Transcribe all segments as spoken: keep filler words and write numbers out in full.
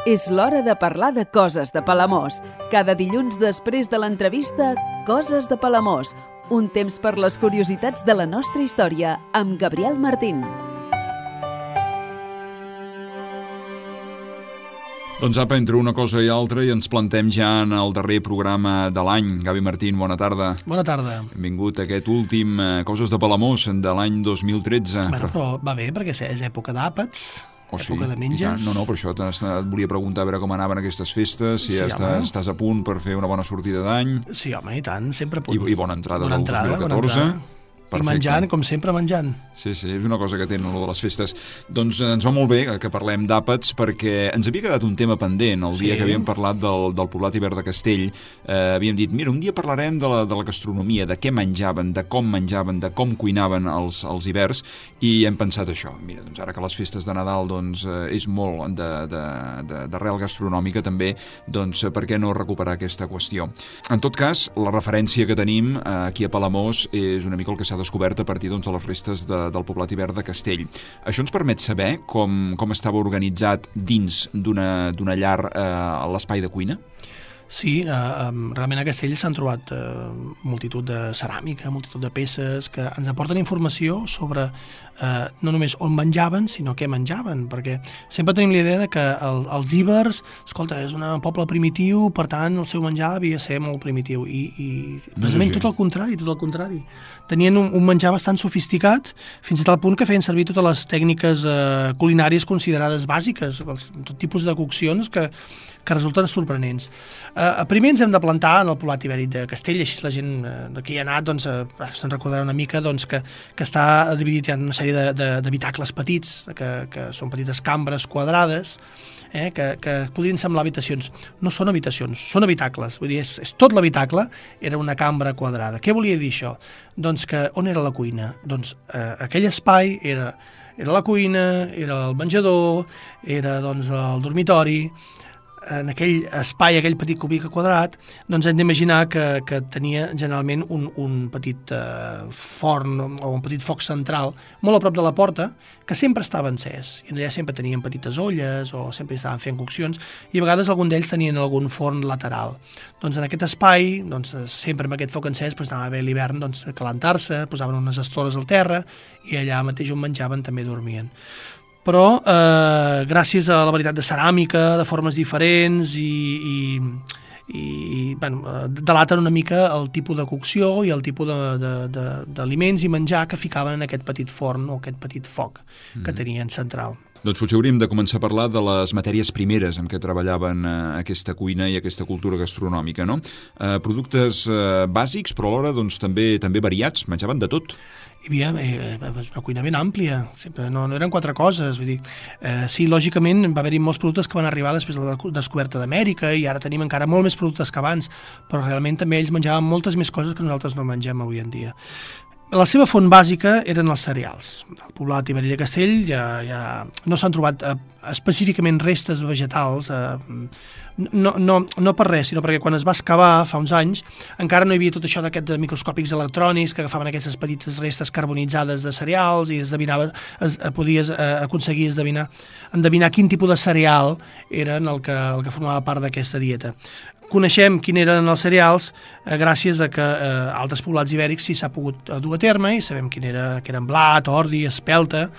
És l'hora de parlar de coses de Palamós. Cada dilluns després de l'entrevista, Coses de Palamós. Un temps per les curiositats de la nostra història, amb Gabriel Martín. Doncs apa, entre una cosa i altra, i ens plantem ja en el darrer programa de l'any. Gavi Martín, bona tarda. Bona tarda. Benvingut a aquest últim eh, Coses de Palamós de l'any dos mil tretze. Bueno, però va bé, perquè és època d'àpats, oh, època sí, de menges. No, no, per això et volia preguntar a veure com anaven aquestes festes, si Sí, ja estàs, home. estàs a punt per fer una bona sortida d'any. Sí, home, i tant, sempre a punt. I, i bona entrada Bona del entrada, dos mil bona catorze. entrada. I menjant, com sempre, menjant. Sí, sí, és una cosa que tenen allò de les festes. Doncs eh, ens va molt bé que parlem d'àpats, perquè ens havia quedat un tema pendent el dia Sí. que havíem parlat del, del poblat ibèric de Castell. Eh, havíem dit, mira, un dia parlarem de la, de la gastronomia, de què menjaven, de com menjaven, de com cuinaven els, els ibers, i hem pensat això. Mira, doncs ara que les festes de Nadal doncs, eh, és molt d'arrel gastronòmica també, doncs eh, per què no recuperar aquesta qüestió? En tot cas, la referència que tenim eh, aquí a Palamós és una mica el que s'ha descobert a partir doncs, de les restes de, del poblat ibèric de Castell. Això ens permet saber com, com estava organitzat dins d'una d'una llar eh, l'espai de cuina? Sí, eh, realment a Castell s'han trobat eh, multitud de ceràmica, multitud de peces que ens aporten informació sobre eh, no només on menjaven, sinó què menjaven, perquè sempre tenim la idea de que el, els íbers, escolta, és un poble primitiu, per tant el seu menjar havia de ser molt primitiu, i, i precisament tot el contrari, tot el contrari. Tenien un, un menjar bastant sofisticat, fins a tal punt que feien servir totes les tècniques eh, culinàries considerades bàsiques, els, tot tipus de coccions que, que resulten sorprenents. Eh, primer ens hem de plantar en el poblat ibèric de Castell, així la gent eh, que hi ha anat doncs, eh, se'n recordarà una mica doncs, que, que està dividit en una sèrie d'habitacles petits, que, que són petites cambres quadrades, eh, que, que podrien semblar habitacions. No són habitacions, són habitacles. Vull dir, és, és tot l'habitacle, era una cambra quadrada. Què volia dir això? Doncs que on era la cuina? Doncs eh, aquell espai era, era la cuina, era el menjador, era doncs, el dormitori. En aquell espai, aquell petit cubic quadrat, doncs hem d'imaginar que, que tenia generalment un, un petit eh, forn o un petit foc central molt a prop de la porta, que sempre estava encès. I allà sempre tenien petites olles o sempre estaven fent coccions, i a vegades algun d'ells tenien algun forn lateral. Doncs en aquest espai, doncs, sempre amb aquest foc encès, doncs, anava bé l'hivern doncs, a calentar-se, posaven unes estores al terra i allà mateix on menjaven també dormien. Però eh, gràcies a la varietat de ceràmica, de formes diferents i, i, i bueno, delaten una mica el tipus de cocció i el tipus d'aliments i menjar que ficaven en aquest petit forn o aquest petit foc que mm. tenien central. Doncs potser hauríem de començar a parlar de les matèries primeres amb què treballaven eh, aquesta cuina i aquesta cultura gastronòmica, no? Eh, productes eh, bàsics, però alhora doncs, també també variats, menjaven de tot. Hi havia eh, una cuina ben àmplia, sempre, no, no eren quatre coses, vull dir, eh, sí, lògicament va haver-hi molts productes que van arribar després de la descoberta d'Amèrica i ara tenim encara molt més productes que abans, però realment també ells menjaven moltes més coses que nosaltres no mengem avui en dia. La seva font bàsica eren els cereals. Al poblat ibèric de Castell ja, ja no s'han trobat eh, específicament restes vegetals, eh, no, no, no per res, sinó perquè quan es va excavar fa uns anys encara no hi havia tot això d'aquests microscòpics electrònics que agafaven aquestes petites restes carbonitzades de cereals i esdevinava, es, podies eh, aconseguir esdevinar, endevinar quin tipus de cereal era el que, el que formava part d'aquesta dieta. Coneixem quin eren els cereals eh, gràcies a que eh, altres poblats ibèrics sí s'ha pogut eh, dur a terme i sabem quin era, que eren blat, ordi, espelta,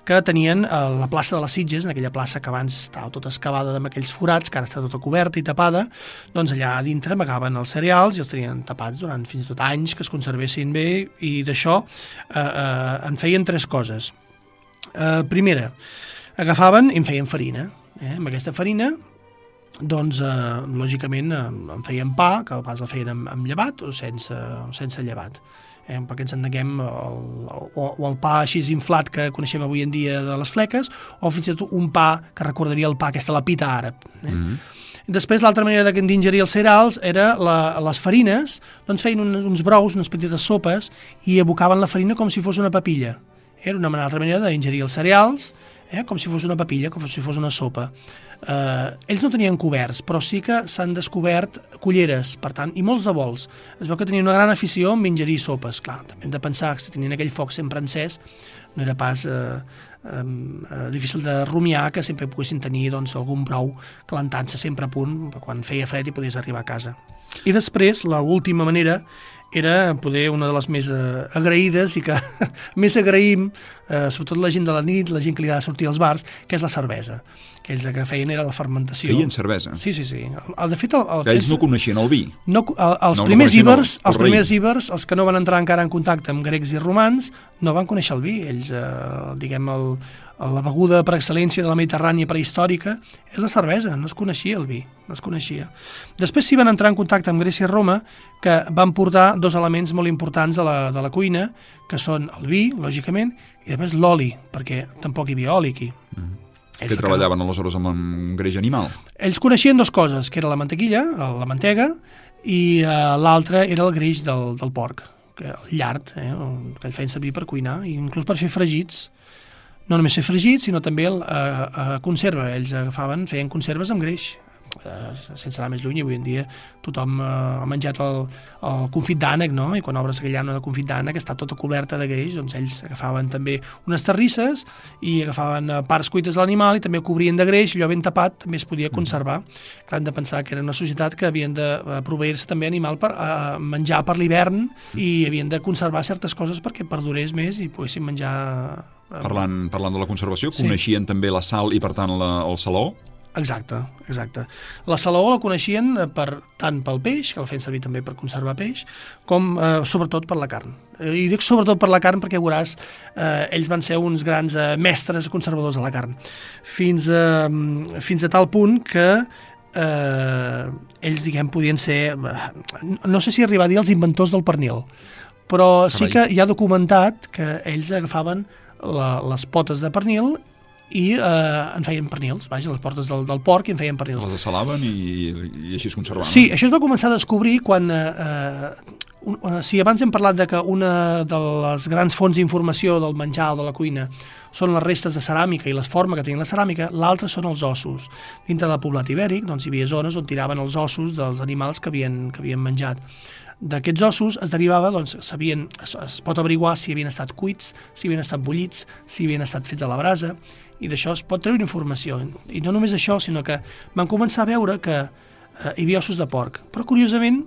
que tenien eh, la plaça de les Sitges, en aquella plaça que abans estava tota excavada amb aquells forats, que ara està tota coberta i tapada, doncs allà a dintre amagaven els cereals i els tenien tapats durant fins i tot anys que es conservessin bé, i d'això eh, eh, en feien tres coses. Eh, primera, agafaven i en feien farina. Eh? Amb aquesta farina doncs, eh, lògicament, eh, en feien pa, que pas el feien amb, amb llevat o sense, sense llevat. Eh, perquè ens entenguem, el, o, o el pa així inflat que coneixem avui en dia de les fleques, o fins i tot un pa que recordaria el pa, aquesta la pita àrab. Eh? Mm-hmm. Després, l'altra manera d'ingerir els cereals era la, les farines, doncs feien un, uns brous, unes petites sopes, i abocaven la farina com si fos una papilla. Era una altra manera d'ingerir els cereals, eh, com si fos una papilla, com si fos una sopa. Eh, ells no tenien coberts, però sí que s'han descobert culleres, per tant, i molts de bols. Es veu que tenien una gran afició en ingerir sopes. Clar, també hem de pensar que si tenien aquell foc sempre encès, no era pas eh, eh, difícil de rumiar que sempre poguessin tenir doncs, algun brou calentant-se sempre a punt quan feia fred i podies arribar a casa. I després, l'última manera era poder una de les més eh, agraïdes i que més agraïm, eh, sobretot la gent de la nit, la gent que li ha de sortir als bars, que és la cervesa. Que ells el que feien era la fermentació. Feien cervesa? Sí, sí, sí. El, el, de fet, el, el, que ells no coneixien el vi? No, el, els, no, primers no íbers, el, el els primers íbers, els que no van entrar encara en contacte amb grecs i romans, no van conèixer el vi. Ells, eh, diguem, el, la beguda per excel·lència de la Mediterrània prehistòrica és la cervesa, no es coneixia el vi, no es coneixia. Després s'hi van entrar en contacte amb Grècia i Roma, que van portar dos elements molt importants de la, de la cuina, que són el vi, lògicament, i després l'oli, perquè tampoc hi havia oli aquí. Mm. Que treballaven que... aleshores amb un greix animal? Ells coneixien dues coses, que era la mantequilla, la mantega, i uh, l'altra era el greix del, del porc, que, el llard, eh, que el feien servir per cuinar, i inclús per fer fregits. No només fer fregits, sinó també el, a, a conserva. Ells agafaven, feien conserves amb greix, eh, sense anar més lluny. Avui en dia tothom eh, ha menjat el, el confit d'ànec, no? I quan obres aquella llana de confit d'ànec està tota coberta de greix, doncs ells agafaven també unes terrisses i agafaven parts cuites de l'animal i també ho cobrien de greix, allò ben tapat també es podia conservar. Mm. Clar, hem de pensar que era una societat que havien de proveir-se també animal per eh, menjar per l'hivern i havien de conservar certes coses perquè perdurés més i poguessin menjar... Parlant, parlant de la conservació, sí. Coneixien també la sal i, per tant, la, el saló? Exacte, exacte. La saló la coneixien per, tant pel peix, que el feien servir també per conservar peix, com eh, sobretot per la carn. I dic sobretot per la carn perquè veuràs, eh, ells van ser uns grans eh, mestres conservadors de la carn. Fins a, fins a tal punt que eh, ells, diguem, podien ser... No sé si arribar a dir els inventors del pernil, però Carai. Sí que hi ha documentat que ells agafaven La, les potes de pernil i eh, en feien pernils, vaja, les potes del, del porc i en feien pernils. Les assalaven i, i així es conservaven. Sí, això es va començar a descobrir quan, eh, un, si abans hem parlat de que una de les grans fonts d'informació del menjar o de la cuina són les restes de ceràmica i la forma que tenia la ceràmica, l'altra són els ossos. Dintre del poblat ibèric doncs, hi havia zones on tiraven els ossos dels animals que havien, que havien menjat. D'aquests ossos es derivava, doncs, sabien, es, es pot averiguar si havien estat cuits, si havien estat bullits, si havien estat fets a la brasa, i d'això es pot treure informació. I no només això, sinó que van començar a veure que eh, hi havia ossos de porc. Però, curiosament,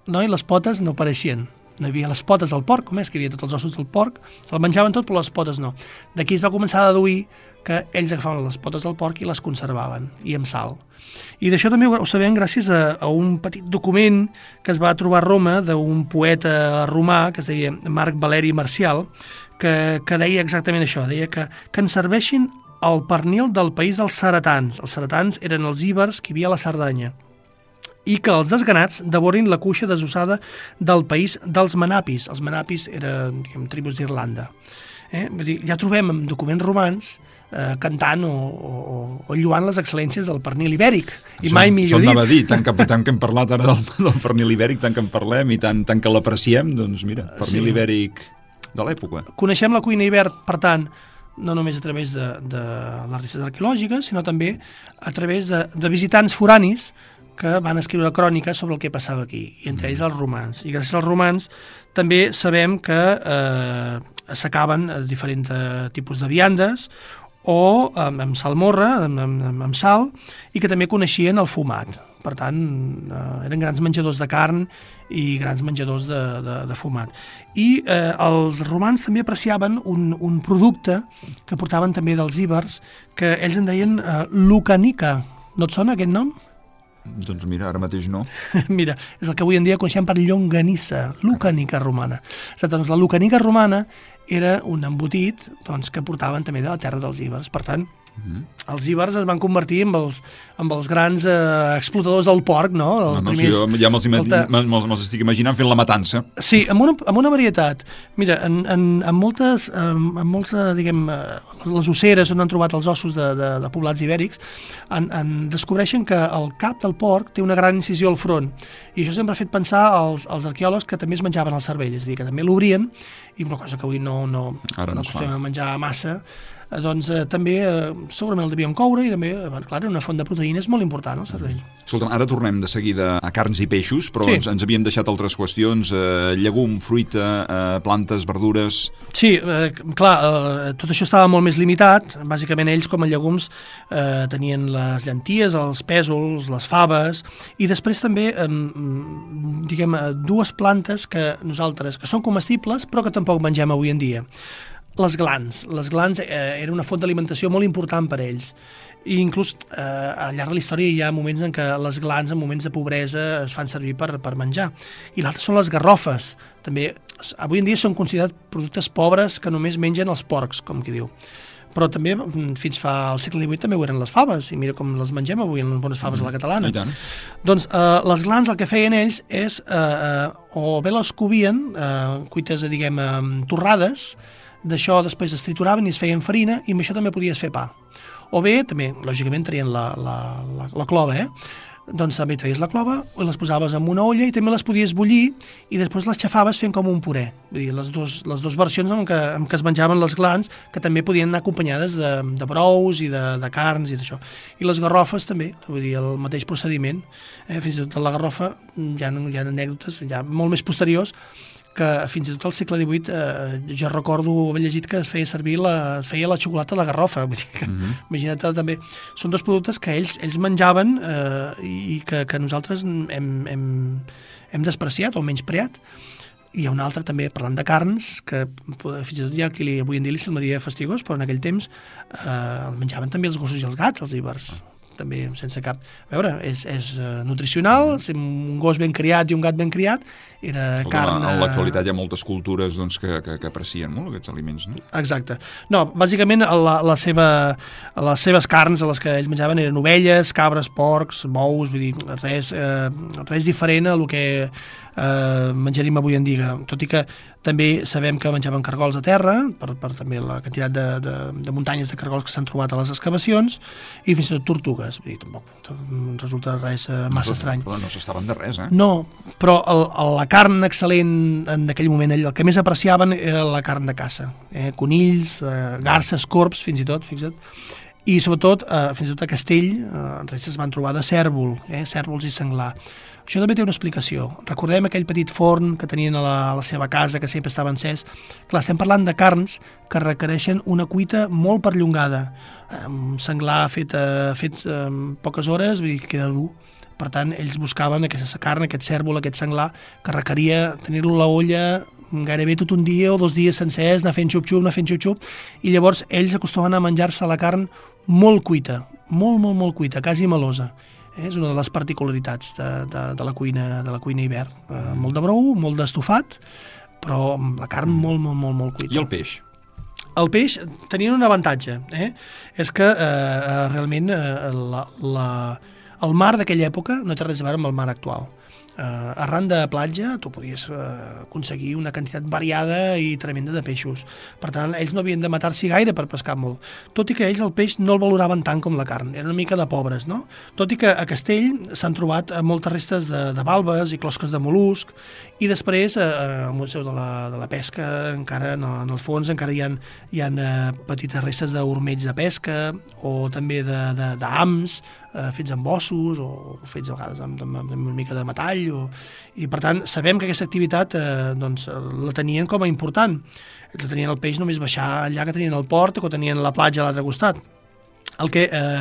no, i les potes no apareixien. No hi havia les potes del porc, com és que hi havia tots els ossos del porc, se'l menjaven tot, però les potes no. D'aquí es va començar a deduir que ells agafaven les potes del porc i les conservaven, i amb sal. I d'això també ho sabem gràcies a, a un petit document que es va trobar a Roma d'un poeta romà que es deia Marc Valeri Marcial, que, que deia exactament això, deia que, que ens serveixin el pernil del país dels ceretans. Els ceretans eren els íbers que hi havia a la Cerdanya, i que els desganats devorin la cuixa desossada del país dels manapis. Els manapis eren, diguem, tribus d'Irlanda. Eh? Vull dir, ja trobem en documents romans eh, cantant o, o, o lluant les excel·lències del pernil ibèric. I som, mai millor dit. dit. Dir, tant, que, tant que hem parlat ara del, del pernil ibèric, tant que en parlem i tant, tant que l'apreciem, doncs mira, pernil sí. ibèric de l'època. Coneixem la cuina ibèrica, per tant, no només a través de, de les restes arqueològiques, sinó també a través de, de visitants foranis que van escriure cròniques sobre el que passava aquí, i entre ells els romans. I gràcies als romans també sabem que eh, assecaven diferents eh, tipus de viandes o amb, amb salmorra, amb, amb, amb sal, i que també coneixien el fumat. Per tant, eh, eren grans menjadors de carn i grans menjadors de, de, de fumat. I eh, els romans també apreciaven un, un producte que portaven també dels íbers, que ells en deien eh, lucanica. No et sona aquest nom? Doncs mira, ara mateix no. Mira, és el que avui en dia coneixem per llonganissa, lucanica romana. Doncs la lucanica romana era un embotit doncs, que portaven també de la terra dels íbers. Per tant, mm-hmm. els íbers es van convertir en els, en els grans eh, explotadors del porc, no? Els no, no primers, sí, ja me'ls me estic imaginant fent la matança. Sí, amb una, amb una varietat. Mira, en, en, en moltes, en, en molts, diguem, les osseres on han trobat els ossos de, de, de poblats ibèrics, en, en descobreixen que el cap del porc té una gran incisió al front. I això sempre ha fet pensar als, als arqueòlegs que també es menjaven el cervell, és a dir, que també l'obrien, i una cosa que avui no, no, no acostumem a menjar massa, eh, doncs eh, també eh, segurament el devien coure i també, eh, clar, una font de proteïnes molt important, el cervell. Escolta'm, ara tornem de seguida a carns i peixos, però Sí. ens, ens havíem deixat altres qüestions, eh, llegum, fruita, eh, plantes, verdures... Sí, eh, clar, eh, tot això estava molt més limitat. Bàsicament ells, com a llegums, eh, tenien les llenties, els pèsols, les faves, i després també, eh, diguem, eh, dues plantes que nosaltres, que són comestibles, però que tampoc mengem avui en dia. Les glans. Les glans eh, era una font d'alimentació molt important per a ells. I inclús eh, al llarg de la història hi ha moments en què les glans, en moments de pobresa, es fan servir per, per menjar. I l'altre són les garrofes. També, avui en dia són considerats productes pobres que només mengen els porcs, com qui diu. Però també, fins fa al segle divuit, també ho eren les faves, i mira com les mengem avui en bones faves a la catalana. I tant. Doncs eh, les glans el que feien ells és, eh, eh, o bé les covien, eh, cuites, diguem, eh, torrades, d'això després es trituraven i es feien farina, i amb això també podies fer pa. O bé, també, lògicament, traien la, la, la, la clova, eh? Doncs també traies la clova, i les posaves en una olla i també les podies bullir i després les xafaves fent com un puré. Vull dir, les dues, les dues versions en què, en què es menjaven les glans, que també podien anar acompanyades de, de brous i de, de carns i d'això. I les garrofes també, vull dir, el mateix procediment. Eh? Fins i tot la garrofa hi ha, hi ha anècdotes ja molt més posteriors que fins i tot al segle divuit eh, jo recordo haver llegit que es feia servir la, es feia la xocolata de garrofa. Vull dir que, uh-huh. Imagina't també, són dos productes que ells, ells menjaven eh, i que, que nosaltres hem, hem, hem despreciat o menyspreat. I hi ha un altre també, parlant de carns, que fins i tot hi ha qui li, avui en dia li semblaria fastigós, però en aquell temps eh, el menjaven també els gossos i els gats, els ibers. També sense cap... A veure, és, és uh, nutricional, un gos ben criat i un gat ben criat, era carn... En l'actualitat hi ha moltes cultures doncs, que, que, que aprecien molt aquests aliments, no? Exacte. No, bàsicament la, la seva, les seves carns a les que ells menjaven eren ovelles, cabres, porcs, bous, vull dir, res, eh, res diferent a el que eh, menjaríem avui en dia. Tot i que també sabem que menjaven cargols a terra, per, per també la quantitat de, de, de muntanyes de cargols que s'han trobat a les excavacions, i fins i tot tortugues. Vull dir, tampoc resulta res eh, massa no, estrany. Però no s'estaven de res, eh? No, però el, el, la carn excel·lent en aquell moment, el que més apreciaven era la carn de caça. Eh? Conills, eh, garces, corbs, fins i tot, fixa't. I sobretot, eh, fins i tot a Castell, eh, restes es van trobar de cèrvol, eh? cèrvols i senglar. Això també té una explicació. Recordem aquell petit forn que tenien a la, a la seva casa, que sempre estava encès. Clar, estem parlant de carns que requereixen una cuita molt perllongada. Un senglar fet, eh, fet en poques hores, vull dir que queda dur. Per tant, ells buscaven aquesta carn, aquest cèrvol, aquest senglar, que requeria tenir-lo a la olla gairebé tot un dia o dos dies sencers, anar fent xup-xup, anar fent xup-xup, i llavors ells acostumen a menjar-se la carn molt cuita, molt, molt, molt cuita, quasi melosa. Eh, és una de les particularitats de, de, de la cuina de la cuina hivern. Eh, molt de brou, molt d'estofat, però la carn molt, molt, molt, molt cuita. I el peix? El peix tenien un avantatge, eh? és que eh, realment eh, la, la, el mar d'aquella època no té res a veure amb el mar actual. Uh, arran de platja tu podies uh, aconseguir una quantitat variada i tremenda de peixos. Per tant, ells no havien de matar-s'hi gaire per pescar molt. Tot i que ells el peix no el valoraven tant com la carn. Eren una mica de pobres, no? Tot i que a Castell s'han trobat moltes restes de, de valves i closques de mol·lusc, i després uh, al Museu de la, de la Pesca encara en el, en el fons encara hi ha, hi ha uh, petites restes d'ormells de pesca o també d'ams uh, fets amb ossos o fets a vegades amb, amb, amb una mica de metall. O, i per tant sabem que aquesta activitat eh, doncs, la tenien com a important. Ells tenien el peix només baixar allà que tenien el port o que tenien la platja a l'altre costat. El que eh,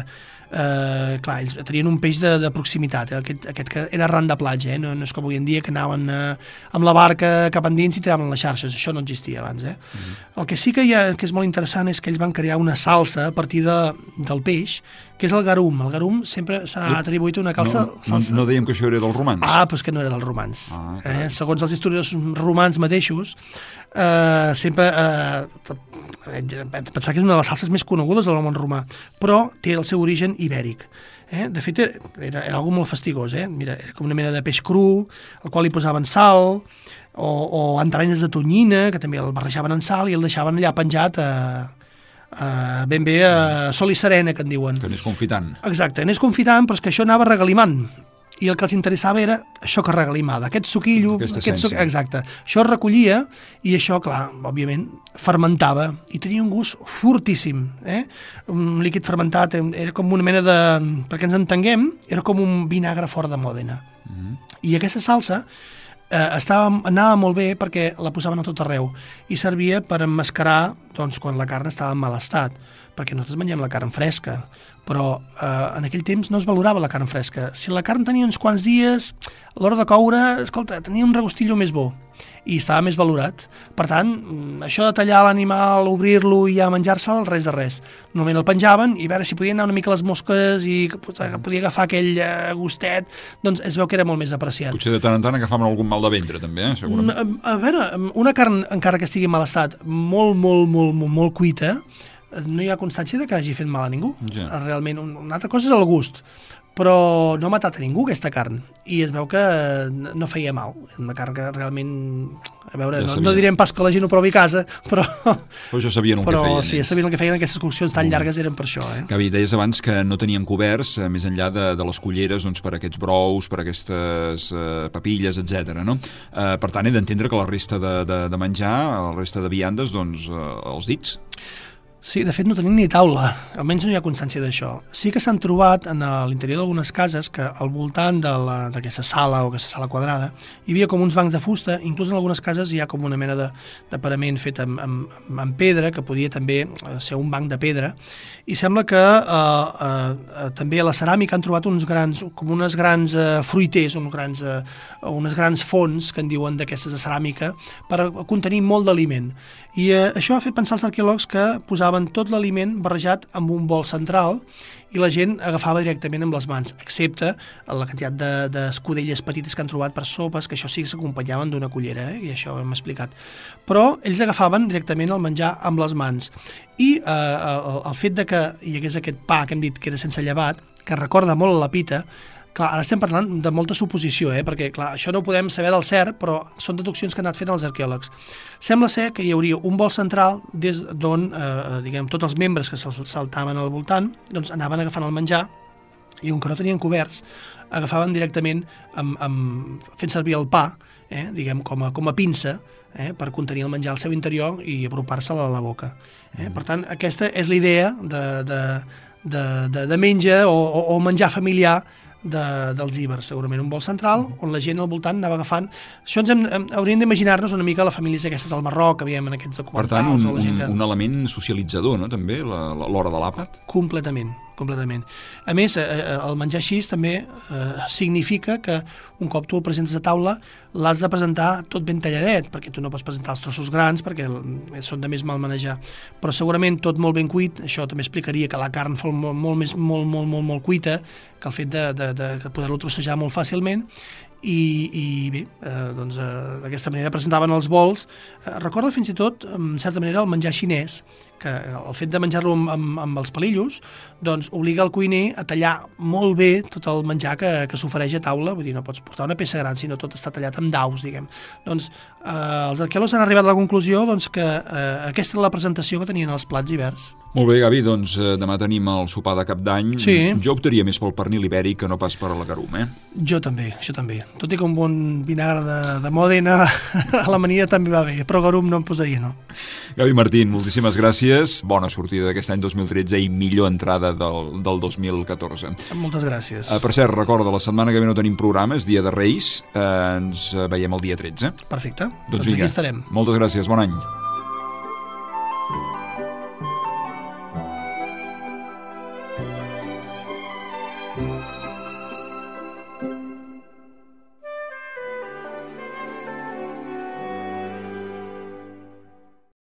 eh, clar, ells tenien un peix de, de proximitat, eh? aquest, aquest que era arran de platja, eh? no, no és com avui en dia que anaven eh, amb la barca cap endins i tiraven les xarxes, això no existia abans. Eh? Mm-hmm. El que sí que, hi ha, que és molt interessant és que ells van crear una salsa a partir de, del peix, que és el garum. El garum sempre s'ha atribuït una calça... No, no, no dèiem que això era dels romans. Ah, doncs que no era dels romans. Ah, eh? Segons els historiadors romans mateixos, eh, sempre... Eh, pensar que és una de les salses més conegudes del món romà, però té el seu origen ibèric. Eh? De fet, era, era, era algo molt fastigós. Eh? Mira, era com una mena de peix cru, al qual hi posaven sal, o, o entranyes de tonyina, que també el barrejaven en sal i el deixaven allà penjat a... Uh, ben bé a uh, sol i serena, que en diuen. Que anés confitant. Exacte, anés confitant, però és que això anava regalimant. i el que els interessava era això que regalimada, aquest suquillo, Aquesta aquest suc... essència. exacte. Això es recollia i això, clar, òbviament, fermentava i tenia un gust fortíssim. Eh? Un líquid fermentat era com una mena de... Perquè ens entenguem, era com un vinagre fort de Mòdena. Mm-hmm. I aquesta salsa eh, estava, anava molt bé perquè la posaven a tot arreu i servia per emmascarar doncs, quan la carn estava en mal estat, perquè nosaltres mengem la carn fresca, però eh, en aquell temps no es valorava la carn fresca. Si la carn tenia uns quants dies, a l'hora de coure, escolta, tenia un regustillo més bo i estava més valorat. Per tant, això de tallar l'animal, obrir-lo i ja menjar-se'l, res de res. Normalment el penjaven i a veure si podien anar una mica les mosques i podia agafar aquell eh, gustet, doncs es veu que era molt més apreciat. Potser de tant en tant agafaven algun mal de ventre, també, eh? Segurament. A, a veure, una carn, encara que estigui en mal estat, molt, molt, molt, molt, molt cuita, no hi ha constància de que hagi fet mal a ningú. Ja. Realment, una altra cosa és el gust, però no ha matat a ningú aquesta carn, i es veu que no feia mal. Una carn que realment, a veure, ja no, no direm pas que la gent ho provi a casa, però... Però ja sabien el però, que feien. Però sí, ja sabien el que feien, aquestes coccions tan llargues eren per això. Eh? Gavi, deies abans que no tenien coberts, eh, més enllà de, de les culleres, doncs, per aquests brous, per aquestes eh, papilles, etcètera. No? Eh, per tant, he d'entendre que la resta de, de, de menjar, la resta de viandes, doncs, eh, els dits. Sí, de fet no tenim ni taula, almenys no hi ha constància d'això. Sí que s'han trobat en l'interior d'algunes cases que al voltant d'aquesta sala o aquesta sala quadrada hi havia com uns bancs de fusta, inclús en algunes cases hi ha com una mena de, de parament fet amb, amb, amb pedra, que podia també ser un banc de pedra, i sembla que eh, eh, també a la ceràmica han trobat uns grans, com unes grans eh, fruiters, uns grans, eh, unes grans fonts, que en diuen d'aquestes de ceràmica, per contenir molt d'aliment. I eh, això ha fet pensar als arqueòlegs que posaven tot l'aliment barrejat amb un bol central i la gent agafava directament amb les mans, excepte la quantitat d'escudelles petites que han trobat per sopes, que això sí que s'acompanyaven d'una cullera, eh? I això ho hem explicat. Però ells agafaven directament el menjar amb les mans. I eh, el, el fet de que hi hagués aquest pa que hem dit que era sense llevat, que recorda molt a la pita, clar, ara estem parlant de molta suposició, eh? Perquè clar, això no ho podem saber del cert, però són deduccions que han anat fent els arqueòlegs. Sembla ser que hi hauria un bol central des d'on, eh, diguem, tots els membres que se'ls saltaven al voltant, doncs anaven agafant el menjar, i on que no tenien coberts, agafaven directament amb, amb, fent servir el pa, eh? Diguem, com a, com a pinça, eh? Per contenir el menjar al seu interior i apropar-se'l a la boca. Eh? Per tant, aquesta és la idea de, de, de, de, de menja o, o, o menjar familiar de, dels ibers, segurament un bol central on la gent al voltant anava agafant. Això ens hem, hem, hauríem d'imaginar-nos una mica les famílies aquestes del Marroc que veiem en aquests documentals. Per tant, un, o la gent un, que... un element socialitzador, no?, també, l'hora de l'àpat. Completament, completament. A més, eh, el menjar així també eh, significa que un cop tu el presentes a taula l'has de presentar tot ben talladet, perquè tu no pots presentar els trossos grans perquè són de més mal manejar. Però segurament tot molt ben cuit, això també explicaria que la carn fos molt, molt, més, molt, molt, molt, molt cuita, que el fet de, de, de, de poder-lo trossejar molt fàcilment, i, i bé, eh, doncs eh, d'aquesta manera presentaven els bols. Eh, recorda fins i tot, en certa manera, el menjar xinès, que el fet de menjar-lo amb, amb, amb els palillos doncs obliga el cuiner a tallar molt bé tot el menjar que, que s'ofereix a taula, vull dir, no pots portar una peça gran, sinó tot està tallat amb daus, diguem. Doncs eh, els arqueòlegs han arribat a la conclusió doncs, que eh, aquesta era la presentació que tenien els plats ibers. Molt bé, Gavi, doncs eh, demà tenim el sopar de Cap d'Any. Sí. Jo optaria més pel pernil ibèric que no pas per a la garum, eh? Jo també, jo també. Tot i que un bon vinagre de, de Mòdena a l'amanida també va bé, però garum no em posaria, no. Gavi Martín, moltíssimes gràcies. Bona sortida d'aquest any dos mil tretze i millor entrada del, del dos mil catorze. Moltes gràcies. Uh, per cert, recorda, la setmana que ve no tenim programa, és dia de Reis. Uh, ens veiem el dia tretze. Perfecte. Doncs, doncs vinga, aquí estarem. moltes gràcies, bon any.